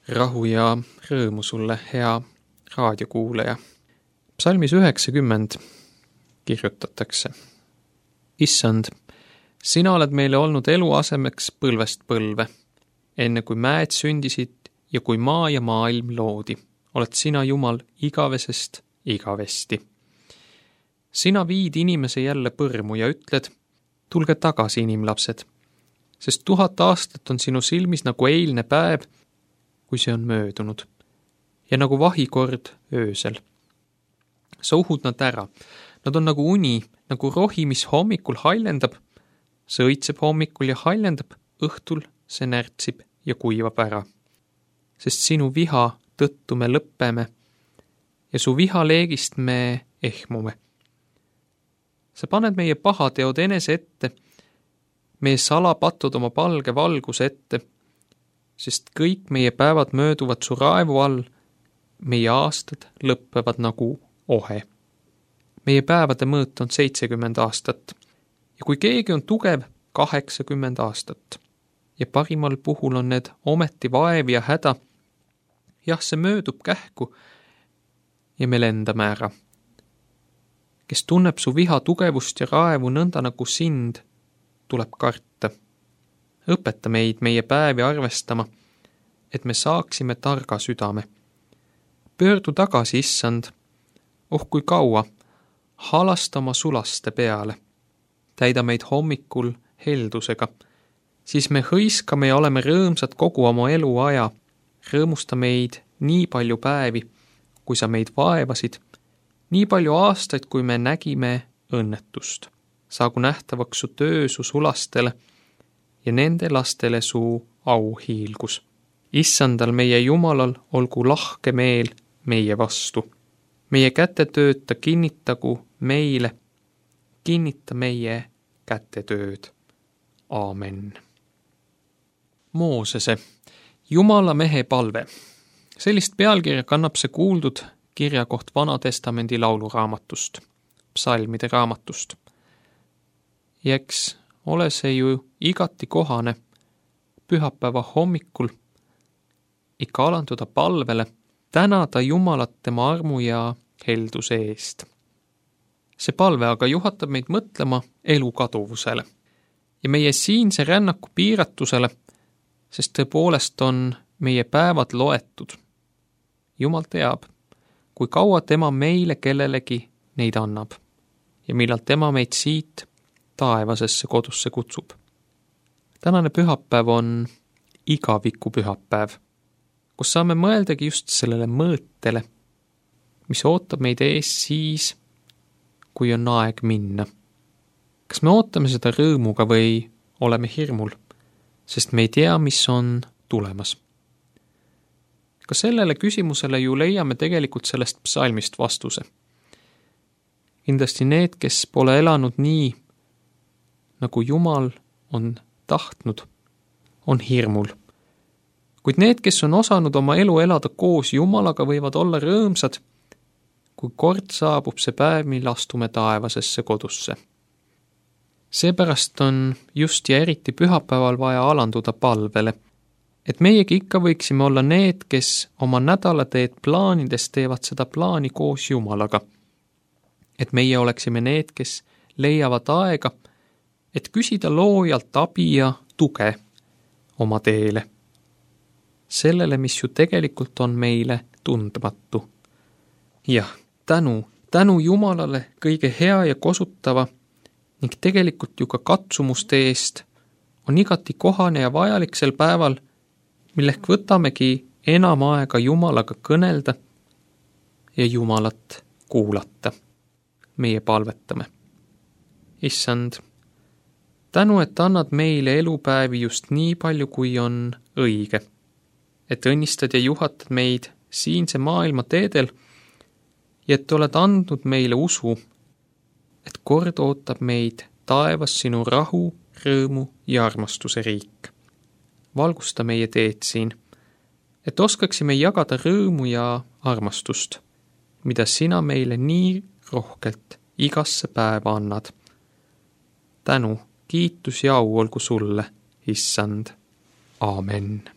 Rahu ja rõõmu sulle, hea raadiokuulaja. Psalmis 90 kirjutatakse. Issand, sina oled meile olnud eluasemeks põlvest põlve. Enne kui mäed sündisid ja kui maa ja maailm loodi, oled sina Jumal igavesest igavesti. Sina viid inimese jälle põrmu ja ütled, tulge tagasi, inimlapsed, sest 1000 aastat on sinu silmis nagu eilne päev, kui see on möödunud, ja nagu vahikord öösel. Sa uhud nad ära. Nad on nagu uni, nagu rohi, mis hommikul haljendab. See õitseb hommikul ja haljendab, õhtul see närtsib ja kuivab ära. Sest sinu viha tõttu me lõppeme ja su vihaleegist me ehmume. Sa paned meie pahateod enese ette, meie salapatud oma palge valguse ette, sest kõik meie päevad mööduvad su raevu all, meie aastad lõppevad nagu ohe. Meie päevade mõõt on 70 aastat ja kui keegi on tugev, 80 aastat. Ja parimal puhul on need ometi vaev ja häda. Jah, see möödub kähku ja me lendame ära. Kes tunneb su viha tugevust ja raevu nõnda nagu sind, tuleb karta. Õpeta meid meie päevi arvestama, et me saaksime targa südame. Pöördu tagasi, issand, kui kaua, halasta oma sulaste peale. Täida meid hommikul heldusega, siis me hõiskame ja oleme rõõmsad kogu oma eluaja. Rõõmusta meid nii palju päevi, kui sa meid vaevasid, nii palju aastaid, kui me nägime õnnetust. Saagu nähtavaks su töö su sulastele ja nende lastele su auhiilgus. Issandal meie Jumalal olgu lahke meel meie vastu. Meie kätetööd ta kinnitagu meile, kinnita meie kätetööd. Aamen. Moosese, Jumala mehe palve. Sellist pealkirja kannab see kuuldud kirjakoht Vana-testamendi lauluraamatust, psalmide raamatust. Ja eks ole see ju igati kohane pühapäeva hommikul ikka alanduda palvele, tänada Jumalat tema armu ja helduse eest. See palve aga juhatab meid mõtlema elu kaduvusele ja meie siinse rännaku piiratusele, sest tõepoolest on meie päevad loetud. Jumal teab, kui kaua tema meile kellelegi neid annab ja millal tema meid siit taevasesse kodusse kutsub. Tänane pühapäev on igaviku pühapäev, kus saame mõeldagi just sellele mõõtele, mis ootab meid ees siis, kui on aeg minna. Kas me ootame seda rõõmuga või oleme hirmul, sest me ei tea, mis on tulemas? Ka sellele küsimusele ju leiame tegelikult sellest psalmist vastuse. Kindlasti need, kes pole elanud nii, nagu Jumal on tahtnud, on hirmul. Kuid need, kes on osanud oma elu elada koos Jumalaga, võivad olla rõõmsad, kui kord saabub see päev, mil astume taevasesse kodusse. Seepärast on just ja eriti pühapäeval vaja alanduda palvele, et meiegi ikka võiksime olla need, kes oma nädalateed plaanides teevad seda plaani koos Jumalaga. Et meie oleksime need, kes leiavad aega, et küsida loojalt abi ja tuge oma teele. Sellele, mis ju tegelikult on meile tundmatu. Jah, tänu Jumalale kõige hea ja kosutava ning tegelikult ju ka katsumuste eest on igati kohane ja vajalik sel päeval, millek võtamegi enam aega Jumalaga kõnelda ja Jumalat kuulata. Meie palvetame. Issand, tänu, et annad meile elupäevi just nii palju, kui on õige, et õnnistad ja juhatad meid siinse maailma teedel ja et oled andnud meile usu, et kord ootab meid taevas sinu rahu, rõõmu ja armastuse riik. Valgusta meie teed siin, et oskaksime jagada rõõmu ja armastust, mida sina meile nii rohkelt igasse päeva annad. Tänu, kiitus ja au olgu sulle, issand. Aamen.